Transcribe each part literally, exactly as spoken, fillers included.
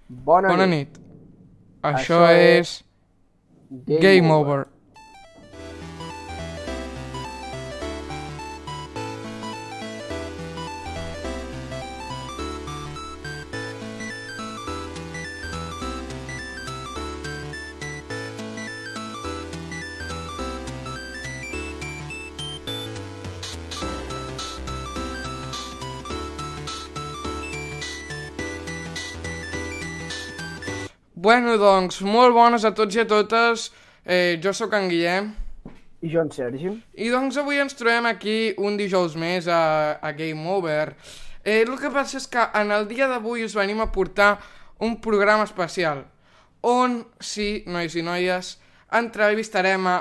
Bona, Bona nit. nit. Això, Això és... Game, Game over. Over. Bueno, doncs, molt bones a tots i a totes. Eh, jo sóc en Guillem. I jo en Sergi. I doncs avui ens trobem aquí un dijous més a, a Game Over. Eh, el que passa és que en el dia d'avui us venim a portar un programa especial on, sí, nois i noies, entrevistarem a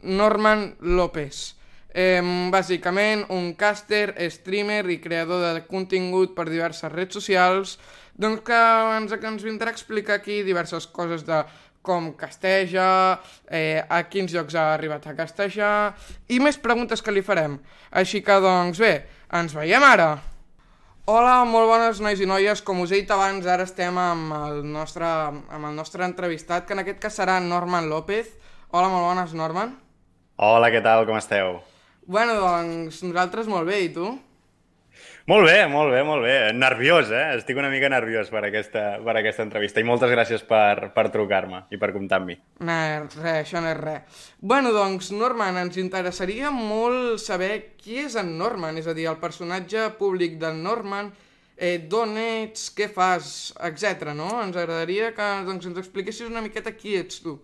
Norman López. Eh, bàsicament un càster, streamer i creador de contingut per diverses redes socials, doncs que ens, que ens vindrà a explicar aquí diverses coses de com casteja, eh, a quins llocs ha arribat a castejar i més preguntes que li farem. Així que doncs bé, ens veiem ara! Hola, molt bones nois i noies, com us he dit abans, ara estem amb el nostre, amb el nostre entrevistat, que en aquest cas serà Norman López. Hola, molt bones, Norman. Hola, què tal, com esteu? Bueno, doncs nosaltres molt bé, i tu? Molt bé, molt bé, molt bé. Nerviós, eh? Estic una mica nerviós per aquesta, per aquesta entrevista i moltes gràcies per, per trucar-me i per comptar amb mi. No, res, això no és res. Bueno, doncs, Norman, ens interessaria molt saber qui és en Norman, és a dir, el personatge públic d'en Norman, eh, d'on ets, què fas, etcètera, no? Ens agradaria que doncs, ens expliquessis una miqueta qui ets tu.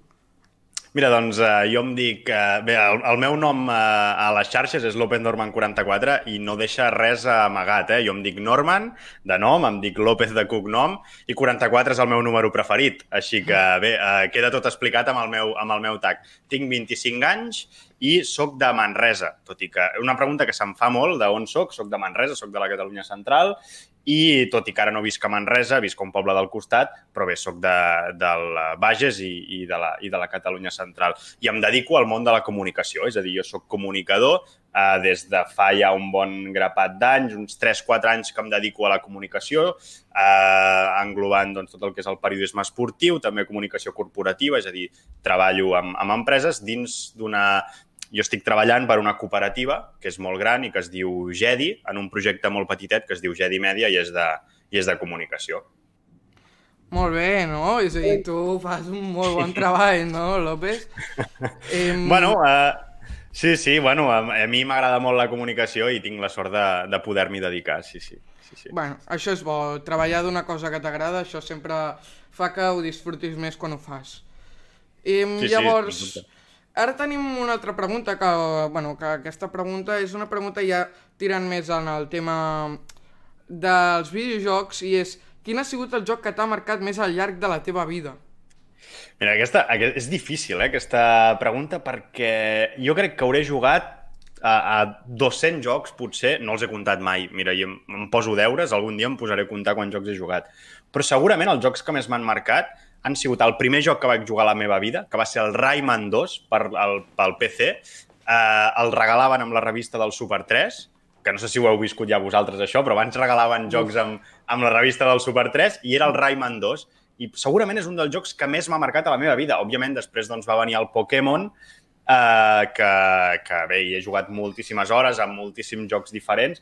Mira, doncs eh, jo em dic... Eh, bé, el, el meu nom eh, a les xarxes és López Norman quaranta-quatre i no deixa res amagat, eh? Jo em dic Norman, de nom, em dic López de cognom i quaranta-quatre és el meu número preferit. Així que, bé, eh, queda tot explicat amb el meu, amb el meu tag. Tinc vint-i-cinc anys i soc de Manresa, tot i que... Una pregunta que se'm fa molt, d'on soc? Soc de Manresa, soc de la Catalunya Central i tot i que ara no visc a Manresa, visc a un poble del costat, però bé, soc de, del Bages i, i, de la, i de la Catalunya Central. I em dedico al món de la comunicació, és a dir, jo soc comunicador eh, des de fa ja un bon grapat d'anys, uns tres quatre anys que em dedico a la comunicació, eh, englobant doncs, tot el que és el periodisme esportiu, també comunicació corporativa, és a dir, treballo amb, amb empreses dins d'una... Jo estic treballant per una cooperativa que és molt gran i que es diu Gedi, en un projecte molt petitet que es diu Gedi Media i és de, i és de comunicació. Molt bé, no? És a dir, tu fas un molt bon treball, no, López? Eh... Bueno, eh, sí, sí, bueno, a, a mi m'agrada molt la comunicació i tinc la sort de, de poder-m'hi dedicar, sí, sí, sí, sí. Bueno, això és bo. Treballar d'una cosa que t'agrada, això sempre fa que ho disfrutis més quan ho fas. I sí, llavors... Sí, ara tenim una altra pregunta, que, bueno, que aquesta pregunta és una pregunta ja tirant més en el tema dels videojocs i és, quin ha sigut el joc que t'ha marcat més al llarg de la teva vida? Mira, aquesta, aquesta és difícil, eh, aquesta pregunta, perquè jo crec que hauré jugat a, a dos-cents jocs, potser, no els he comptat mai. Mira, jo em, em poso deures, algun dia em posaré a comptar quants jocs he jugat. Però segurament els jocs que més m'han marcat han sigut el primer joc que vaig jugar a la meva vida, que va ser el Rayman dos per, el, pel P C. Eh, el regalaven amb la revista del Super tres, que no sé si ho heu viscut ja vosaltres això, però abans regalaven jocs amb, amb la revista del Super tres i era el Rayman dos. I segurament és un dels jocs que més m'ha marcat a la meva vida. Òbviament, després doncs, va venir el Pokémon, eh, que, que bé, hi he jugat moltíssimes hores amb moltíssims jocs diferents.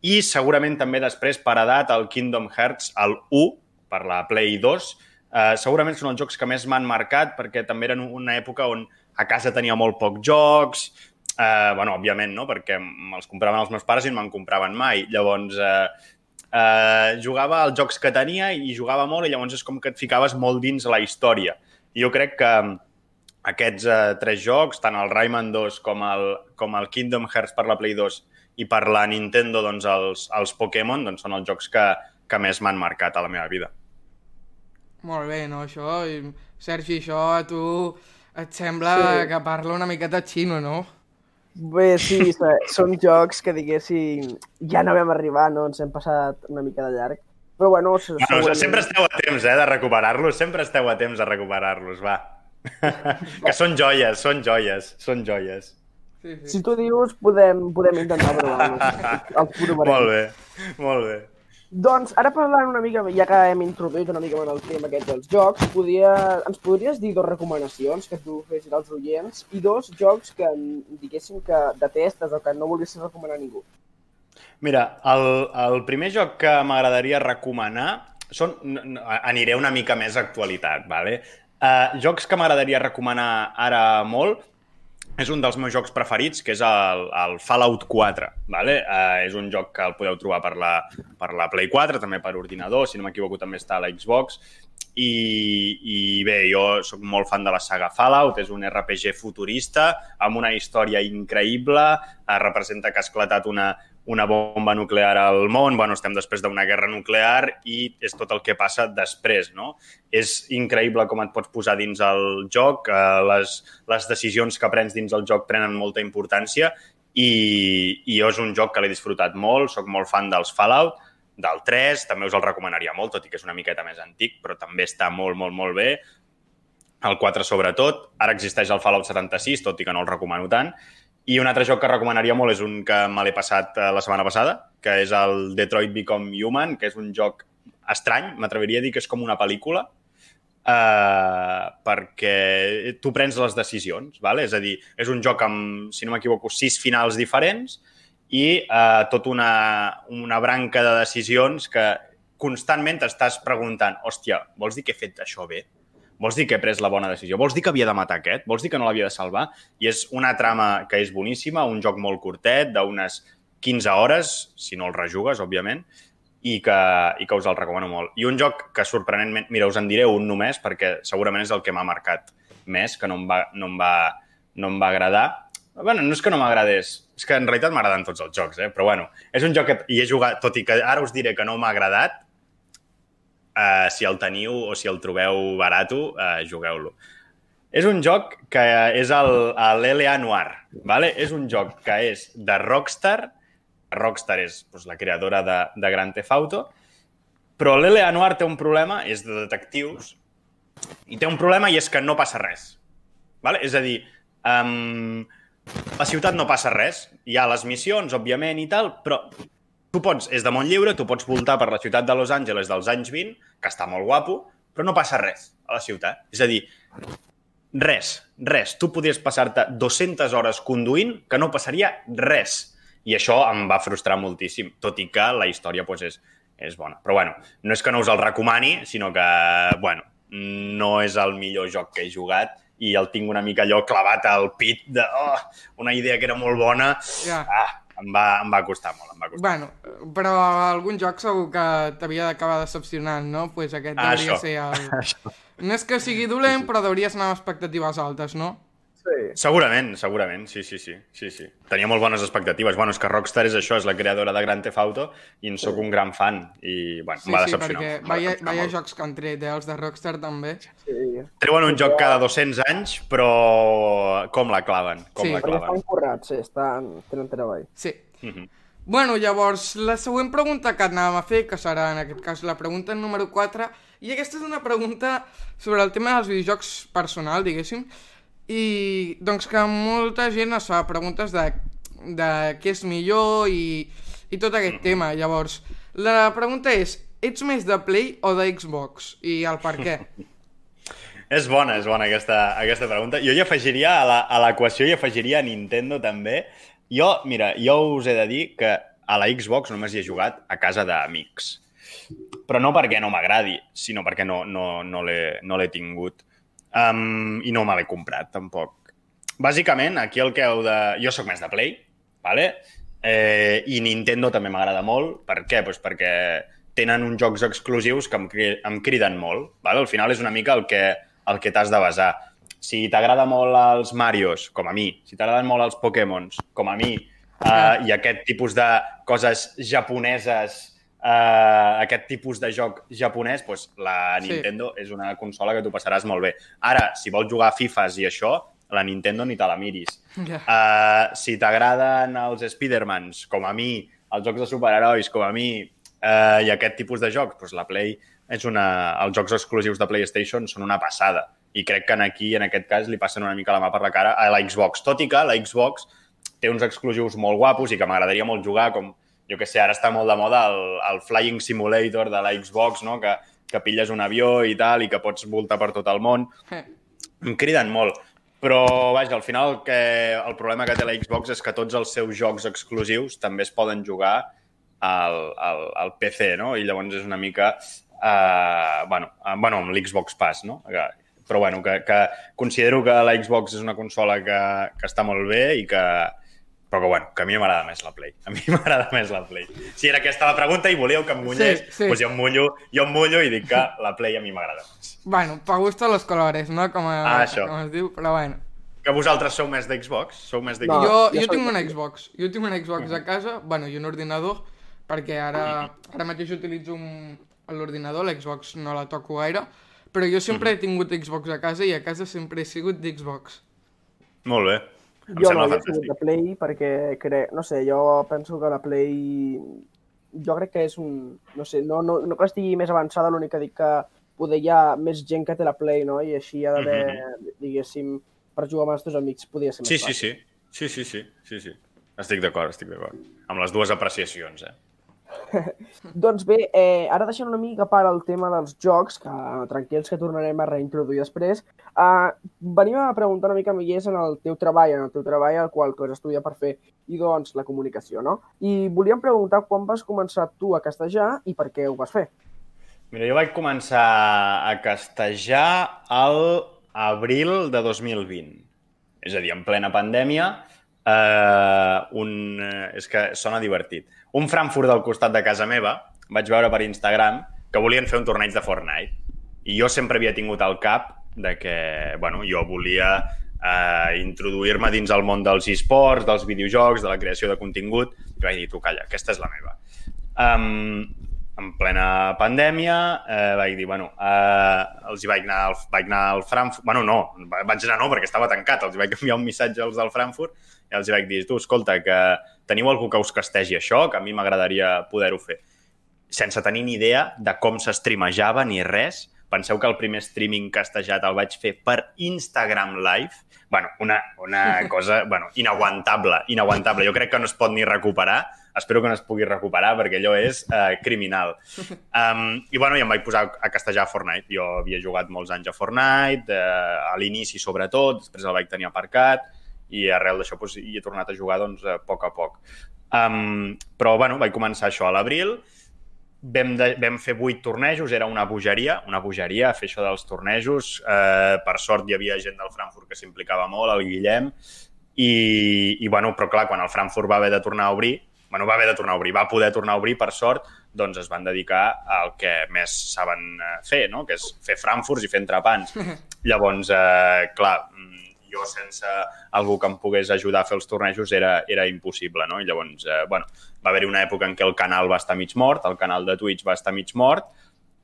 I segurament també després, per edat, el Kingdom Hearts, el u, per la Play dos, Uh, segurament són els jocs que més m'han marcat perquè també eren una època on a casa tenia molt pocs jocs, uh, bueno, òbviament, no? Perquè me'ls compraven els meus pares i no me'n compraven mai. Llavors, uh, uh, jugava als jocs que tenia i jugava molt i llavors és com que et ficaves molt dins la història. I jo crec que aquests uh, tres jocs, tant el Rayman dos com el, com el Kingdom Hearts per la Play dos i per la Nintendo, doncs, els, els Pokémon, doncs, són els jocs que, que més m'han marcat a la meva vida. Molt bé, no, això? I, Sergi, això a tu et sembla sí. que parla una miqueta xino, no? Bé, sí, són jocs que, diguéssim, ja no vam arribar, no? Ens hem passat una mica de llarg. Però, bueno... bueno segurament... Sempre esteu a temps, eh, de recuperar-los. Sempre esteu a temps de recuperar-los, va. Que són joies, són joies, són joies. Sí, sí. Si tu dius, podem, podem intentar provar-los. Els provarem. Molt bé, molt bé. Doncs ara parlant una mica, ja que hem introduït una mica en el tema aquest dels jocs, podia... ens podries dir dos recomanacions que tu fessis als oients i dos jocs que diguéssim que detestes o que no volguessis recomanar a ningú? Mira, el, el primer joc que m'agradaria recomanar són... aniré una mica més a actualitat, vale? Uh, jocs que m'agradaria recomanar ara molt és un dels meus jocs preferits, que és el, el Fallout quatre. Vale? Uh, és un joc que el podeu trobar per la, per la Play quatre, també per ordinador, si no m'equivoco també està a la Xbox. I, I bé, jo sóc molt fan de la saga Fallout, és un R P G futurista amb una història increïble, uh, representa que ha esclatat una, una bomba nuclear al món, bueno, estem després d'una guerra nuclear i és tot el que passa després, no? És increïble com et pots posar dins el joc, eh, les, les decisions que prens dins el joc prenen molta importància i, i jo és un joc que l'he disfrutat molt, soc molt fan dels Fallout, del tres, també us el recomanaria molt, tot i que és una miqueta més antic, però també està molt, molt, molt bé. El quatre sobretot, ara existeix el Fallout setanta-sis, tot i que no el recomano tant. I un altre joc que recomanaria molt és un que me l'he passat la setmana passada, que és el Detroit Become Human, que és un joc estrany, m'atreviria a dir que és com una pel·lícula, eh, perquè tu prens les decisions, ¿vale? És a dir, és un joc amb, si no m'equivoco, sis finals diferents i eh, tota una, una branca de decisions que constantment t'estàs preguntant, hòstia, vols dir que he fet això bé? Vols dir que he pres la bona decisió? Vols dir que havia de matar aquest? Vols dir que no l'havia de salvar? I és una trama que és boníssima, un joc molt curtet, d'unes quinze hores, si no el rejugues, òbviament, i que, i que us el recomano molt. I un joc que, sorprenentment... Mira, us en diré un només, perquè segurament és el que m'ha marcat més, que no em va, no em va, no em va agradar. Bueno, no és que no m'agradés, és que en realitat m'agraden tots els jocs, eh? Però bueno, és un joc que hi he jugat, tot i que ara us diré que no m'ha agradat, Uh, si el teniu o si el trobeu barato, uh, jugueu-lo. És un joc que és l'L A Noire, ¿vale? És un joc que és de Rockstar, Rockstar és pues, la creadora de, de Grand Theft Auto, però l'L A Noire té un problema, és de detectius, i té un problema i és que no passa res. ¿Vale? És a dir, um, la ciutat no passa res, hi ha les missions, òbviament, i tal, però tu pots, és de món lliure, tu pots voltar per la ciutat de Los Angeles dels anys vint, que està molt guapo, però no passa res a la ciutat. És a dir, res, res. Tu podries passar-te dues-centes hores conduint que no passaria res. I això em va frustrar moltíssim, tot i que la història pues, és, és bona. Però bueno, no és que no us el recomani, sinó que, bueno, no és el millor joc que he jugat i el tinc una mica allò clavat al pit de oh, una idea que era molt bona. Ja. Ah, Em va, em va costar molt, em va costar. Bueno, però algun joc segur que t'havia d'acabar decepcionant, no? Doncs pues aquest ah, hauria això. ser el... No és que sigui dolent, però hauries anar amb expectatives altes, no? Sí. Segurament, segurament, sí, sí, sí, sí, sí. Tenia molt bones expectatives. Bueno, és que Rockstar és això, és la creadora de Grand Theft Auto i en sóc un gran fan i, bueno, sí, em va sí, decepcionar. Sí, perquè vaya, vaya jocs que han tret, eh, els de Rockstar també. Sí. Treuen un joc cada dos-cents anys, però com la claven, com sí. la claven. Perquè estan currats, sí, estan... tenen treball. Sí. Uh-huh. Bueno, llavors, la següent pregunta que anàvem a fer, que serà en aquest cas la pregunta número quatre, i aquesta és una pregunta sobre el tema dels videojocs personal, diguéssim, i doncs que molta gent es fa preguntes de, de què és millor i, i tot aquest tema. Llavors, la pregunta és, ets més de Play o de Xbox? I el per què? És bona, és bona aquesta, aquesta pregunta. Jo hi afegiria, a l'equació hi afegiria a Nintendo també. Jo, mira, jo us he de dir que a la Xbox només hi he jugat a casa d'amics. Però no perquè no m'agradi, sinó perquè no, no, no l'he no l'he tingut. Um, I no me l'he comprat, tampoc. Bàsicament, aquí el que heu de... Jo sóc més de Play, ¿vale? eh, i Nintendo també m'agrada molt. Per què? Pues perquè tenen uns jocs exclusius que em, em criden molt. ¿Vale? Al final és una mica el que, el que t'has de basar. Si t'agrada molt els Marios, com a mi, si t'agraden molt els Pokémons, com a mi, uh, i aquest tipus de coses japoneses, uh, aquest tipus de joc japonès, doncs la Nintendo sí. És una consola que tu passaràs molt bé. Ara, si vols jugar a FIFAs i això, la Nintendo ni te la miris. Yeah. Uh, si t'agraden els Spidermans, com a mi, els jocs de superherois, com a mi, uh, i aquest tipus de jocs, doncs la Play és una... Els jocs exclusius de PlayStation són una passada. I crec que aquí, en aquest cas, li passen una mica la mà per la cara a la Xbox. Tot i que la Xbox té uns exclusius molt guapos i que m'agradaria molt jugar, com, jo què sé, ara està molt de moda el, el Flying Simulator de la Xbox, no? que, que pilles un avió i tal, i que pots voltar per tot el món. Em criden molt. Però, vaja, al final el, que, el problema que té la Xbox és que tots els seus jocs exclusius també es poden jugar al, al, al P C, no? I llavors és una mica... Uh, bueno, uh, bueno, amb l'Xbox Pass, no? Però, bueno, que, que considero que la Xbox és una consola que, que està molt bé i que... Però que, bueno, que a mi m'agrada més la Play. A mi m'agrada més la Play. Si era aquesta la pregunta i volíeu que em mullés, sí, sí. Doncs jo em mullo, jo em mullo i dic que la Play a mi m'agrada més. Bueno, pa gusto los colores, no? Com, a, ah, això. Com es diu, però bueno. Que vosaltres sou més d'Xbox? Sou més d'Xbox? No, jo, jo, jo tinc una Xbox. Jo tinc una Xbox uh-huh. a casa, bueno, i un ordinador, perquè ara, ara mateix utilitzo un, l'ordinador, l'Xbox no la toco gaire, però jo sempre uh-huh. he tingut Xbox a casa i a casa sempre he sigut d'Xbox. Molt bé. Em jo sembla no, fantàstic. Jo he sigut de Play perquè, cre... no sé, jo penso que la Play... Jo crec que és un... No sé, no, no, no que estigui més avançada, l'únic que dic que poder hi ha més gent que té la Play, no? I així ha d'haver, mm-hmm. diguéssim, per jugar amb els teus amics podria ser més sí, fàcil. Sí, sí, sí, sí, sí, sí. Estic d'acord, estic d'acord. Amb les dues apreciacions, eh? Doncs bé, eh, ara deixant una mica a part el tema dels jocs, que tranquils que tornarem a reintroduir després, eh, venim a preguntar una mica més en el teu treball, en el teu treball al qual tu has estudiat per fer, i doncs la comunicació, no? I volíem preguntar quan vas començar tu a castejar i per què ho vas fer. Mira, jo vaig començar a castejar al abril de dos mil vint. És a dir, en plena pandèmia, eh, un... és que sona divertit. Un Frankfurt del costat de casa meva, vaig veure per Instagram que volien fer un torneig de Fortnite. I jo sempre havia tingut al cap de que, bueno, jo volia eh, introduir-me dins el món dels esports, dels videojocs, de la creació de contingut. I vaig dir, tu, calla, aquesta és la meva. Um, en plena pandèmia, eh, vaig dir, bueno, eh, els hi vaig anar, al, vaig anar al Frankfurt... Bueno, no, vaig anar no, perquè estava tancat. Els hi vaig enviar un missatge als del Frankfurt i els hi vaig dir, tu, escolta, que teniu algú que us castegi això, que a mi m'agradaria poder-ho fer. Sense tenir ni idea de com s'estreamejava ni res. Penseu que el primer streaming castejat el vaig fer per Instagram Live. Bueno, una, una cosa bueno, inaguantable, inaguantable. Jo crec que no es pot ni recuperar. Espero que no es pugui recuperar perquè allò és eh, criminal. Um, I bueno, ja em vaig posar a castejar a Fortnite. Jo havia jugat molts anys a Fortnite, eh, a l'inici sobretot, després el vaig tenir aparcat i arrel d'això doncs, hi he tornat a jugar doncs, a poc a poc. Um, però bueno, vaig començar això a l'abril, vam, de, vam fer vuit tornejos, era una bogeria, una bogeria fer això dels tornejos. Eh, per sort hi havia gent del Frankfurt que s'implicava molt, el Guillem, i, i bueno, però clar, quan el Frankfurt va haver de tornar a obrir, bueno, va haver de tornar a obrir, va poder tornar a obrir, per sort, doncs es van dedicar al que més saben fer, no? Que és fer Frankfurts i fer entrepans. Llavors, eh, clar, jo sense algú que em pogués ajudar a fer els tornejos era, era impossible, no? I llavors, eh, bueno, va haver-hi una època en què el canal va estar mig mort, el canal de Twitch va estar mig mort,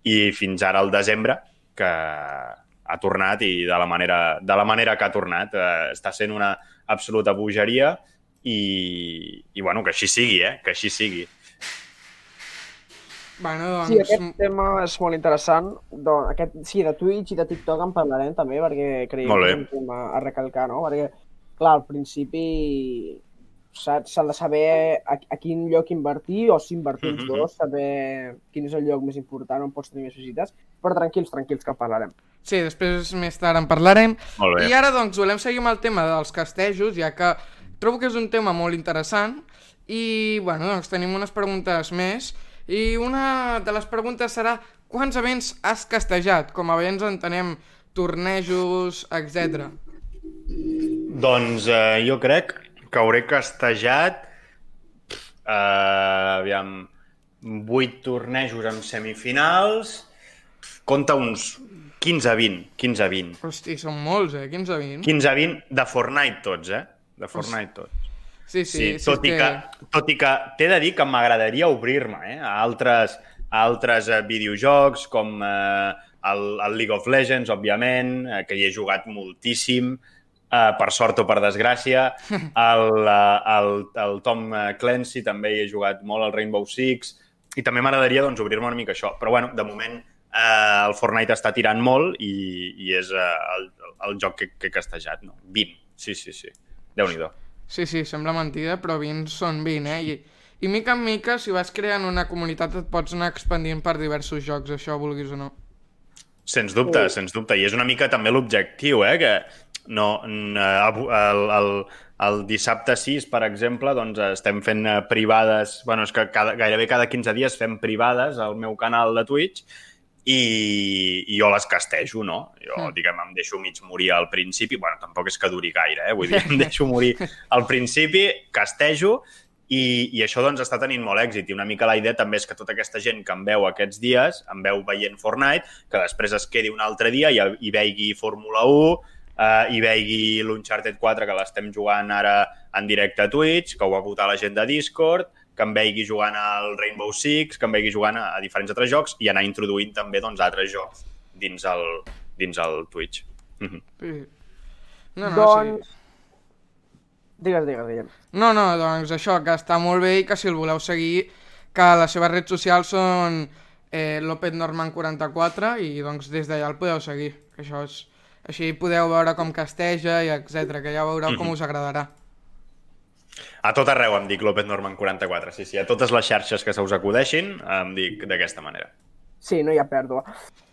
i fins ara al desembre, que ha tornat i de la manera, de la manera que ha tornat. Eh, està sent una absoluta bogeria i, i bueno, que així sigui, eh? Que així sigui. Bueno, doncs... Sí, aquest tema és molt interessant. Doncs, aquest, sí, de Twitch i de TikTok en parlarem també, perquè creiem que és un tema a recalcar, no? Perquè, clar, al principi s'ha de saber a, a quin lloc invertir, o si invertir els dos, saber quin és el lloc més important on pots tenir més visites, però tranquils, tranquils, que en parlarem. Sí, després més tard en parlarem. Molt bé. I ara, doncs, volem seguir amb el tema dels castejos, ja que trobo que és un tema molt interessant i, bueno, doncs tenim unes preguntes més. I una de les preguntes serà quants events has castejat? Com a events entenem tornejos, etcètera. Doncs eh, jo crec que hauré castejat eh, aviam, vuit tornejos amb semifinals, compta uns quinze a vint. quinze a vint. Hosti, són molts, eh? quinze a vint. quinze a vint de Fortnite tots, eh? De Fortnite tots. Sí, sí, sí, sí, tot, sí i que, tot i que t'he de dir que m'agradaria obrir-me eh, a altres, a altres eh, videojocs com eh, el, el League of Legends, òbviament, eh, que hi he jugat moltíssim, eh, per sort o per desgràcia. El, el, el Tom Clancy també hi he jugat molt, el Rainbow Six, i també m'agradaria doncs, obrir-me una mica això. Però bueno, de moment eh, el Fortnite està tirant molt i, i és eh, el, el joc que, que he castejat. No? vint, sí, sí, sí. Déu-n'hi-do. Sí, sí, sembla mentida, però vint són vint, eh? I, I mica en mica, si vas creant una comunitat, et pots anar expandint per diversos jocs, això vulguis o no. Sens dubte, sens dubte. I és una mica també l'objectiu, eh? Que no, el, el, el dissabte sis, per exemple, doncs estem fent privades... Bueno, és que cada, gairebé cada quinze dies fem privades al meu canal de Twitch i, i jo les castejo, no? Jo, mm. diguem, em deixo mig morir al principi. Bueno, tampoc és que duri gaire, eh? Vull dir, em deixo morir al principi, castejo, i, i això doncs està tenint molt èxit. I una mica la idea també és que tota aquesta gent que em veu aquests dies, em veu veient Fortnite, que després es quedi un altre dia i, i veigui Fórmula u, eh, i veigui l'Uncharted quatre, que l'estem jugant ara en directe a Twitch, que ho va votar la gent de Discord, que em veigui jugant al Rainbow Six, que em veigui jugant a, a diferents altres jocs i anar introduint també doncs, altres jocs dins el, dins el Twitch. Mm-hmm. Sí. No, no, doncs... sí. Digues, digues, digues. No, no, doncs això, que està molt bé i que si el voleu seguir, que les seves redes socials són eh, Lopez Norman quaranta-quatre i doncs des d'allà el podeu seguir. Que això és... Així podeu veure com casteja i etcètera, que ja veureu mm-hmm. com us agradarà. A tot arreu em dic Lopez Norman quaranta-quatre, sí, sí. A totes les xarxes que se us acudeixin em dic d'aquesta manera. Sí, no hi ha pèrdua.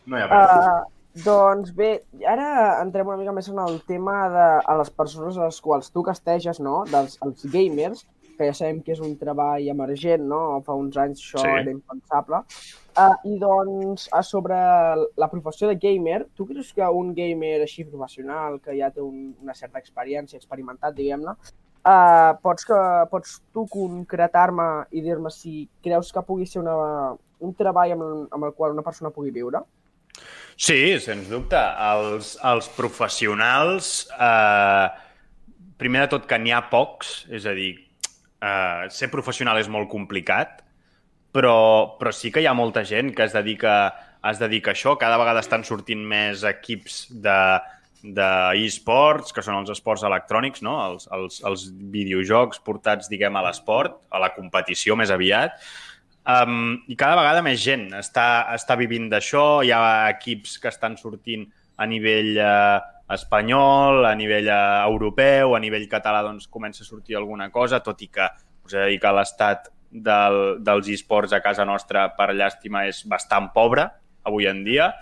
No hi ha pèrdua. Uh, doncs bé, ara entrem una mica més en el tema de a les persones a les quals tu casteges, no? Dels els gamers, que ja sabem que és un treball emergent, no? Fa uns anys això sí. Era impensable. Uh, I doncs, a sobre la professió de gamer, tu creus que un gamer així professional, que ja té un, una certa experiència, experimentat, diguem-ne, Uh, pots, que, pots tu concretar-me i dir-me si creus que pugui ser una, un treball amb, amb el qual una persona pugui viure? Sí, sens dubte. Els, els professionals, eh, primer de tot que n'hi ha pocs, és a dir, eh, ser professional és molt complicat, però, però sí que hi ha molta gent que es dedica, es dedica a això. Cada vegada estan sortint més equips de d'e-sports, que són els esports electrònics, no? els, els, els videojocs portats, diguem, a l'esport, a la competició més aviat. Um, I cada vegada més gent està, està vivint d'això. Hi ha equips que estan sortint a nivell eh, espanyol, a nivell eh, europeu, a nivell català doncs, comença a sortir alguna cosa, tot i que us he de dir que l'estat del, dels e-sports a casa nostra, per llàstima, és bastant pobre avui en dia.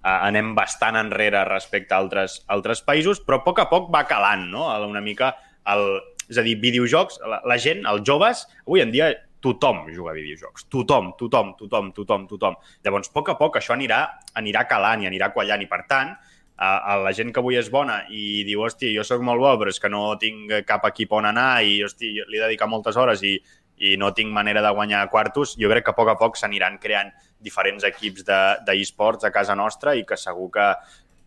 Uh, anem bastant enrere respecte a altres, altres països, però a poc a poc va calant, no? Una mica, el, és a dir, videojocs, la, la gent, els joves, avui en dia tothom juga a videojocs, tothom, tothom, tothom, tothom, tothom. Llavors, a poc a poc això anirà, anirà calant i anirà quallant i, per tant, uh, la gent que avui és bona i diu, hosti, jo sóc molt bo, però és que no tinc cap equip on anar i, hosti, li he dedicat moltes hores i, i no tinc manera de guanyar quartos, jo crec que a poc a poc s'aniran creant diferents equips d'e-sports de, a casa nostra i que segur que,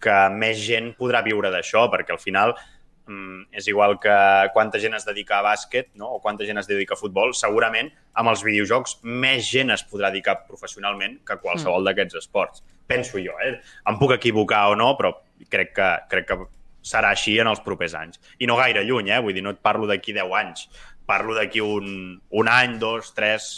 que més gent podrà viure d'això, perquè al final mm, és igual que quanta gent es dedica a bàsquet, no? O quanta gent es dedica a futbol, segurament amb els videojocs més gent es podrà dedicar professionalment que qualsevol mm. d'aquests esports. Penso jo, eh? Em puc equivocar o no, però crec que, crec que serà així en els propers anys. I no gaire lluny, eh? Vull dir, no et parlo d'aquí deu anys, parlo d'aquí un, un any, dos, tres...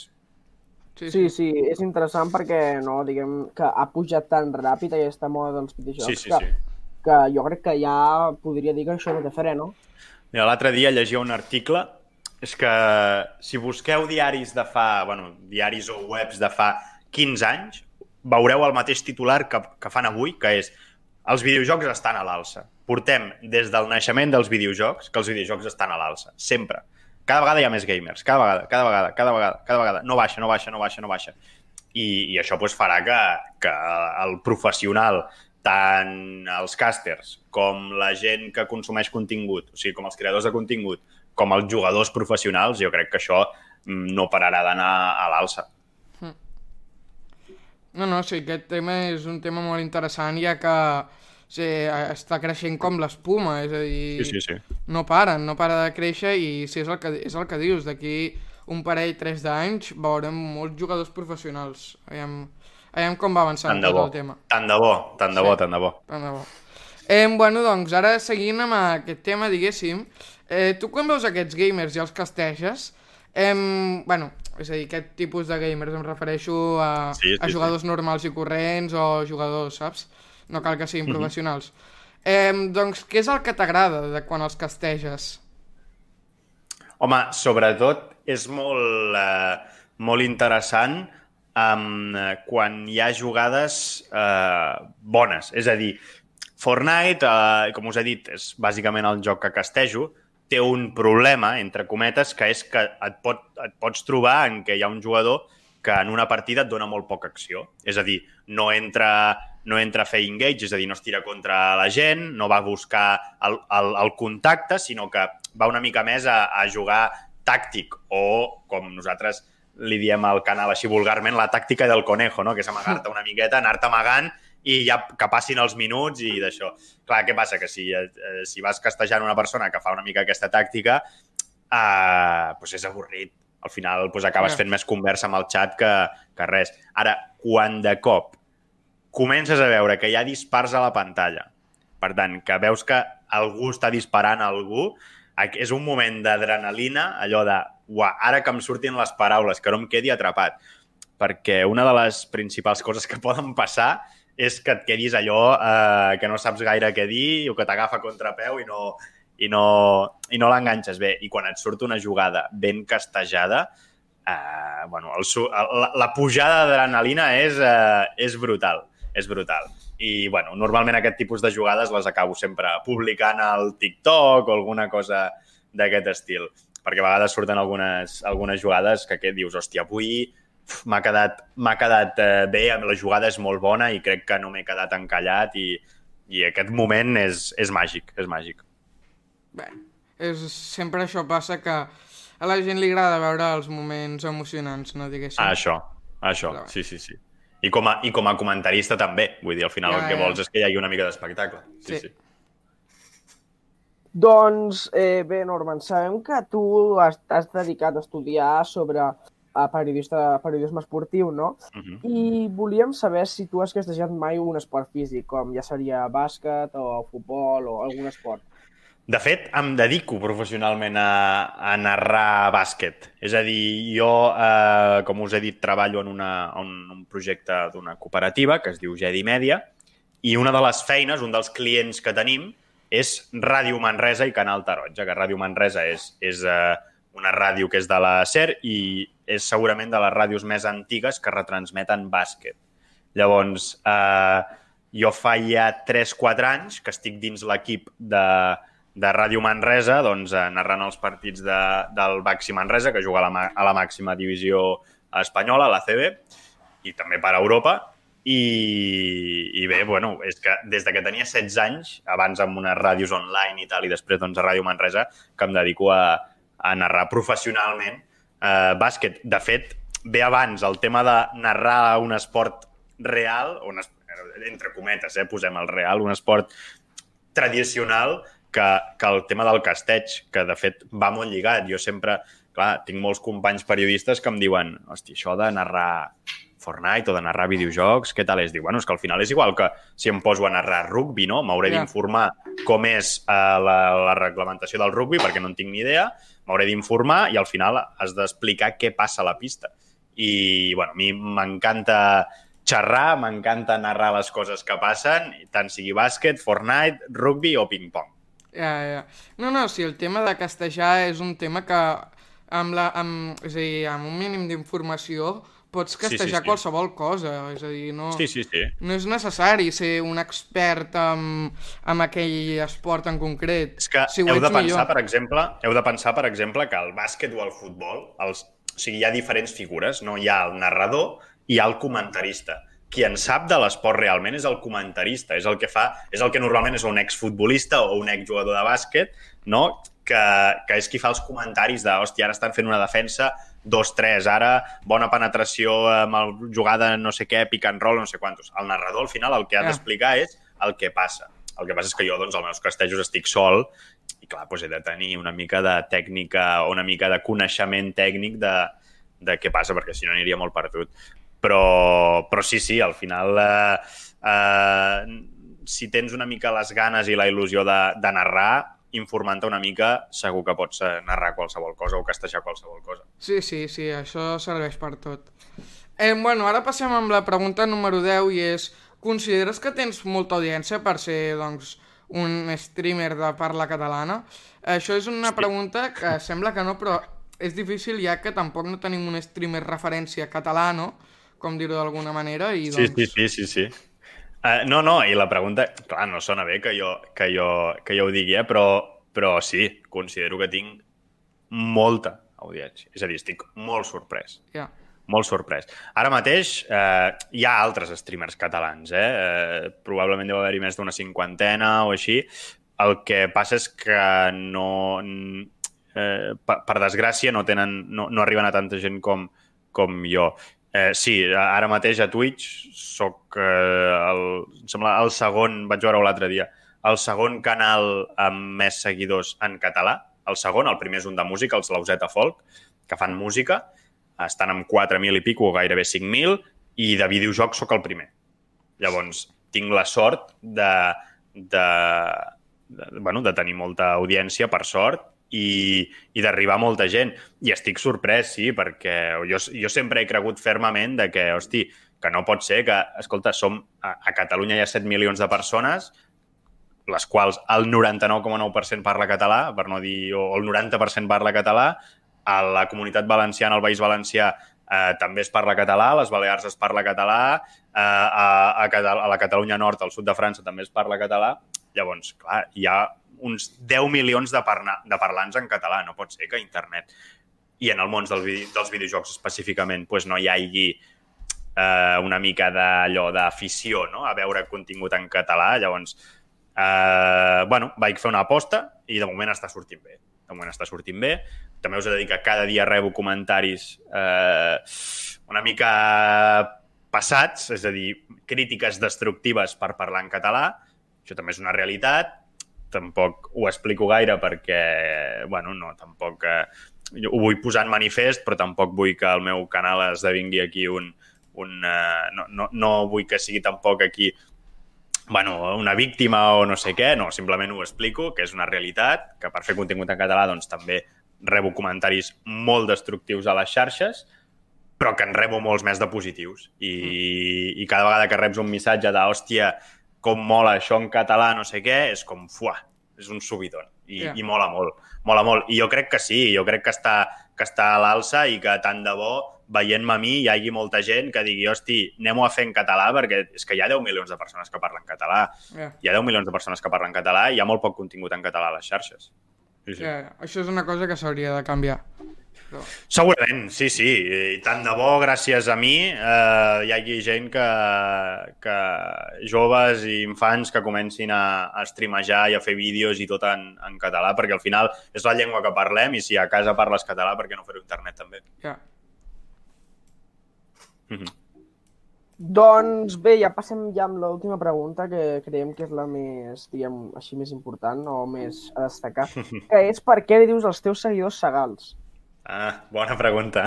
Sí, sí, sí, és interessant perquè no, diguem que ha pujat tan ràpid aquesta moda dels videojocs sí, sí, que, sí. que jo crec que ja podria dir que això no té fre, no? Mira, l'altre dia llegia un article, és que si busqueu diaris de fa, bueno, diaris o webs de fa quinze anys, veureu el mateix titular que, que fan avui, que és els videojocs estan a l'alça. Portem des del naixement dels videojocs que els videojocs estan a l'alça, sempre. Cada vegada hi ha més gamers, cada vegada, cada vegada, cada vegada, cada vegada. No baixa, no baixa, no baixa, no baixa. I, i això pues, farà que, que el professional, tant els casters com la gent que consumeix contingut, o sigui, com els creadors de contingut, com els jugadors professionals, jo crec que això no pararà d'anar a l'alça. No, no, sí, aquest tema és un tema molt interessant, ja que sí, està creixent com l'espuma, és a dir, sí, sí, sí. no paren, no para de créixer i sí, és el que, és el que dius, d'aquí un parell, tres d'anys veurem molts jugadors professionals. Aviam, aviam com va avançant tot el tema. Tant de bo, tant de bo, sí, tant de bo. Tant de bo. Eh, bueno, doncs, ara seguint amb aquest tema, diguéssim, eh, tu quan veus aquests gamers i els casteges, eh, bueno, és a dir, aquest tipus de gamers em refereixo a, sí, sí, a jugadors sí. normals i corrents o jugadors, saps? No cal que siguin professionals. Mm-hmm. Eh, doncs, què és el que t'agrada de quan els casteges? Home, sobretot és molt, eh, molt interessant um, quan hi ha jugades eh, bones. És a dir, Fortnite, eh, com us he dit, és bàsicament el joc que castejo, té un problema, entre cometes, que és que et, pot, et pots trobar en què hi ha un jugador que en una partida et dona molt poca acció. És a dir, no entra, no entra a fer engage, és a dir, no es tira contra la gent, no va a buscar el, el, el contacte, sinó que va una mica més a, a jugar tàctic o, com nosaltres li diem al canal així vulgarment, la tàctica del conejo, no? Que és amagar-te una miqueta, anar-te amagant i ja que passin els minuts i d'això. Clar, què passa? Que si, eh, si vas castejant una persona que fa una mica aquesta tàctica, eh, doncs és avorrit. Al final doncs, acabes fent més conversa amb el xat que, que res. Ara, quan de cop comences a veure que hi ha dispars a la pantalla, per tant, que veus que algú està disparant a algú, és un moment d'adrenalina, allò de, uah, ara que em surtin les paraules, que no em quedi atrapat. Perquè una de les principals coses que poden passar és que et quedis allò eh, que no saps gaire què dir o que t'agafa a contrapeu i no, i no, i no l'enganxes bé. I quan et surt una jugada ben castejada, eh, bueno, el, la, la pujada d'adrenalina és, eh, és brutal. És brutal. I, bueno, normalment aquest tipus de jugades les acabo sempre publicant al TikTok o alguna cosa d'aquest estil. Perquè a vegades surten algunes, algunes jugades que, que dius, hòstia, avui m'ha quedat, m'ha quedat eh, bé, la jugada és molt bona i crec que no m'he quedat encallat i, i aquest moment és, és màgic, és màgic. Bé, és, sempre això passa que a la gent li agrada veure els moments emocionants, no diguéssim. Ah, això, això, Però, sí, sí, sí. I com, a, I com a comentarista també, vull dir, al final ja, el que ja. vols és que hi hagi una mica d'espectacle. Sí, sí. sí. Doncs, eh, bé, Norman, sabem que tu has, has dedicat a estudiar sobre a periodista, periodisme esportiu, no? Uh-huh. I volíem saber si tu has castejat mai un esport físic, com ja seria bàsquet o futbol o algun esport. De fet, em dedico professionalment a, a narrar bàsquet. És a dir, jo, eh, com us he dit, treballo en, una, en un projecte d'una cooperativa que es diu Jedi Media i una de les feines, un dels clients que tenim, és Ràdio Manresa i Canal Taronja, que Ràdio Manresa és, és eh, una ràdio que és de la SER i és segurament de les ràdios més antigues que retransmeten bàsquet. Llavors, eh, jo fa ja tres quatre anys que estic dins l'equip de, de Ràdio Manresa, doncs, eh, narrant els partits de, del Baxi Manresa, que juga a la, a la màxima divisió espanyola, a la C B, i també per a Europa. I, i bé, bueno, és que des de que tenia setze anys, abans amb unes ràdios online i tal, i després doncs, a Ràdio Manresa, que em dedico a, a narrar professionalment eh, bàsquet. De fet, ve abans el tema de narrar un esport real, un esport, entre cometes, eh, posem el real, un esport tradicional, que, que el tema del casteig, que de fet va molt lligat. Jo sempre, clar, tinc molts companys periodistes que em diuen, hòstia, això de narrar Fortnite o de narrar videojocs, què tal és? Diu, bueno, és que al final és igual que si em poso a narrar rugby, no? M'hauré yeah. d'informar com és eh, la, la reglamentació del rugby, perquè no en tinc ni idea, m'hauré d'informar i al final has d'explicar què passa a la pista. I, bueno, a mi m'encanta xerrar, m'encanta narrar les coses que passen, tant sigui bàsquet, Fortnite, rugby o ping-pong. Ja, ja. No, no, si el tema de castejar és un tema que amb, la, amb, és a dir, amb un mínim d'informació pots castejar sí, sí, sí. qualsevol cosa, és a dir, no, sí, sí, sí. no és necessari ser un expert en, en aquell esport en concret. És que si heu de pensar, millor. per exemple, heu de pensar, per exemple, que el bàsquet o el futbol, els, o sigui, hi ha diferents figures, no? Hi ha el narrador i hi ha el comentarista. Qui en sap de l'esport realment és el comentarista, és el que fa, és el que normalment és un exfutbolista o un exjugador de bàsquet, no? que, que és qui fa els comentaris de, hòstia, ara estan fent una defensa dos tres, ara bona penetració amb el jugada no sé què, pick and roll, no sé quantos. El narrador, al final, el que ha d'explicar és el que passa. El que passa és que jo, doncs, als meus castejos estic sol i, clar, doncs he de tenir una mica de tècnica o una mica de coneixement tècnic de, de què passa, perquè si no aniria molt perdut. Però, però sí, sí, al final, eh, eh, si tens una mica les ganes i la il·lusió de, de narrar, informant-te una mica, segur que pots narrar qualsevol cosa o castejar qualsevol cosa. Sí, sí, sí, això serveix per tot. Eh, bueno, ara passem amb la pregunta número deu i és, consideres que tens molta audiència per ser, doncs, un streamer de parla catalana? Això és una pregunta que sembla que no, però és difícil ja que tampoc no tenim un streamer referència català, no? Com dir-ho d'alguna manera, i doncs... Sí, sí, sí, sí, sí. Uh, no, no, i la pregunta... Clar, no sona bé que jo, que jo, que jo ho digui, eh? però, però sí, considero que tinc molta audiència. És a dir, estic molt sorprès. Ja. Molt sorprès. Ara mateix eh, hi ha altres streamers catalans, eh? eh probablement deu haver-hi més d'una cinquantena o així. El que passa és que no... Eh, per, per desgràcia no, tenen, no, no arriben a tanta gent com, com jo. Eh, sí, ara mateix a Twitch soc eh, el, em sembla el segon, vaig veure-ho l'altre dia, el segon canal amb més seguidors en català. El segon, el primer és un de música, els Lauseta Folk, que fan música, estan amb quatre mil i pico, gairebé cinc mil, i de videojocs sóc el primer. Llavors, tinc la sort de, de, de, bueno, de tenir molta audiència, per sort, i, i d'arribar a molta gent. I estic sorprès, sí, perquè jo, jo sempre he cregut fermament de que, hosti, que no pot ser que, escolta, som, a, a Catalunya hi ha set milions de persones, les quals el noranta-nou coma nou per cent parla català, per no dir, o el noranta per cent parla català, a la Comunitat Valenciana, al País Valencià, eh, també es parla català, a les Balears es parla català, eh, a, a, a la Catalunya Nord, al sud de França, també es parla català. Llavors, clar, hi ha uns deu milions de, parla, de parlants en català. No pot ser que a internet i en el món del vide dels videojocs específicament pues no hi hagi eh, una mica d'allò d'afició, no?, a veure contingut en català. Llavors, eh, bueno, vaig fer una aposta i de moment està sortint bé. De moment està sortint bé. També us he de dir que cada dia rebo comentaris eh, una mica passats, és a dir, crítiques destructives per parlar en català. Això també és una realitat. Tampoc ho explico gaire perquè, bueno, no, tampoc... Eh, ho vull posar en manifest, però tampoc vull que el meu canal esdevingui aquí un... un eh, no, no, no vull que sigui tampoc aquí bueno, una víctima o no sé què, no, simplement ho explico, que és una realitat, que per fer contingut en català doncs també rebo comentaris molt destructius a les xarxes, però que en rebo molts més de positius. I, mm. i cada vegada que reps un missatge de, hòstia, com mola això en català, no sé què, és com, fuà, és un subidon. I, yeah. i mola molt, mola molt. I jo crec que sí, jo crec que està, que està a l'alça i que tant de bo, veient-me a mi, hi hagi molta gent que digui, hosti, anem-ho a fer en català, perquè és que hi ha deu milions de persones que parlen català. Yeah. Hi ha deu milions de persones que parlen català i hi ha molt poc contingut en català a les xarxes. Sí, sí. Yeah, això és una cosa que s'hauria de canviar. Però... Segurament, sí, sí. I tant de bo, gràcies a mi, eh, hi hagi gent que, que joves i infants que comencin a, a streamejar i a fer vídeos i tot en, en català, perquè al final és la llengua que parlem i si a casa parles català, per què no fer-ho a internet també? Ja. Yeah. Mm-hmm. Doncs bé, ja passem ja amb l'última pregunta, que creiem que és la més, diguem, així més important o més a destacar, que és per què li dius als teus seguidors segals? Ah, bona pregunta.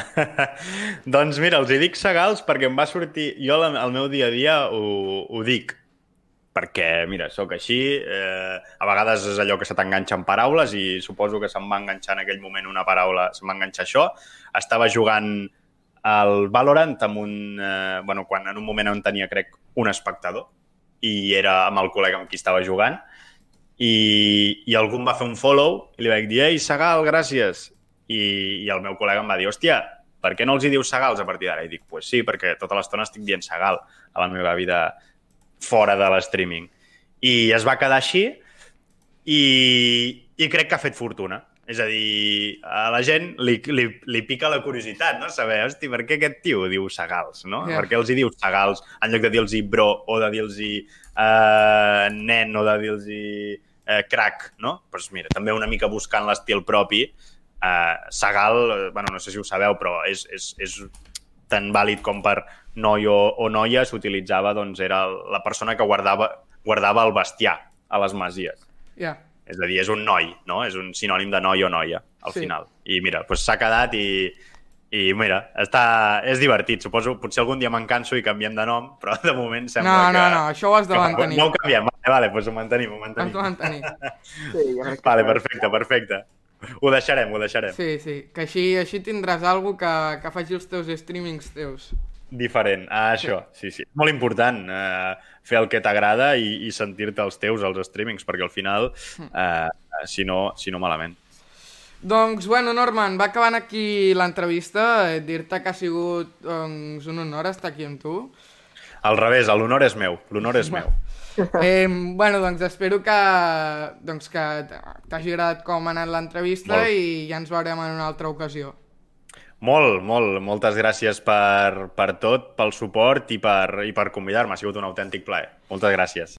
Doncs mira, els hi dic segals perquè em va sortir... Jo al meu dia a dia ho, ho dic, perquè, mira, sóc així, eh, a vegades és allò que se t'enganxa en paraules i suposo que se'm va enganxar en aquell moment una paraula, se'm va enganxar això. Estava jugant al Valorant amb un... Eh, bueno, quan en un moment on tenia, crec, un espectador i era amb el col·lega amb qui estava jugant i, i algú em va fer un follow i li vaig dir, ei, Segal, gràcies. I, i el meu col·lega em va dir, hòstia, per què no els hi dius Segals a partir d'ara? I dic, pues sí, perquè tota l'estona estic dient Segal a la meva vida fora de l'streaming. I es va quedar així i, i crec que ha fet fortuna. És a dir, a la gent li, li, li pica la curiositat, no? Saber, hosti, per què aquest tio diu Segals, no? Yeah. Per què els hi dius Segals en lloc de dir-los bro o de dir-los uh, nen o de dir-los uh, crack, no? Doncs pues mira, també una mica buscant l'estil propi. Uh, Segal, bueno, no sé si ho sabeu, però és, és, és tan vàlid com per noi o, o noia, s'utilitzava, doncs era la persona que guardava, guardava el bestiar a les masies. Yeah. És a dir, és un noi, no? És un sinònim de noi o noia, al sí. final. I mira, doncs s'ha quedat i, i mira, està, és divertit. Suposo, potser algun dia me'n canso i canviem de nom, però de moment sembla no, que... No, no, no, això ho has de mantenir. No ho canviem, vale, vale, doncs ho mantenim, ho mantenim. Has de mantenir. Sí, ja crec que vale, perfecte, perfecte. Ho deixarem, ho deixarem. Sí, sí, que així, així tindràs alguna que, que faci els teus streamings teus. Diferent, ah, això, sí, sí. Molt important eh, fer el que t'agrada i, i sentir-te els teus, els streamings, perquè al final, eh, si no, si no malament. Doncs, bueno, Norman, va acabant aquí l'entrevista. Eh, dir-te que ha sigut doncs, un honor estar aquí amb tu. Al revés, l'honor és meu, l'honor és meu. Eh, bueno, doncs espero que, doncs, que t'hagi agradat com ha anat l'entrevista Molt. i ja ens veurem en una altra ocasió. Molt, molt, moltes gràcies per, per tot, pel suport i per, i per convidar-me. Ha sigut un autèntic plaer. Moltes gràcies.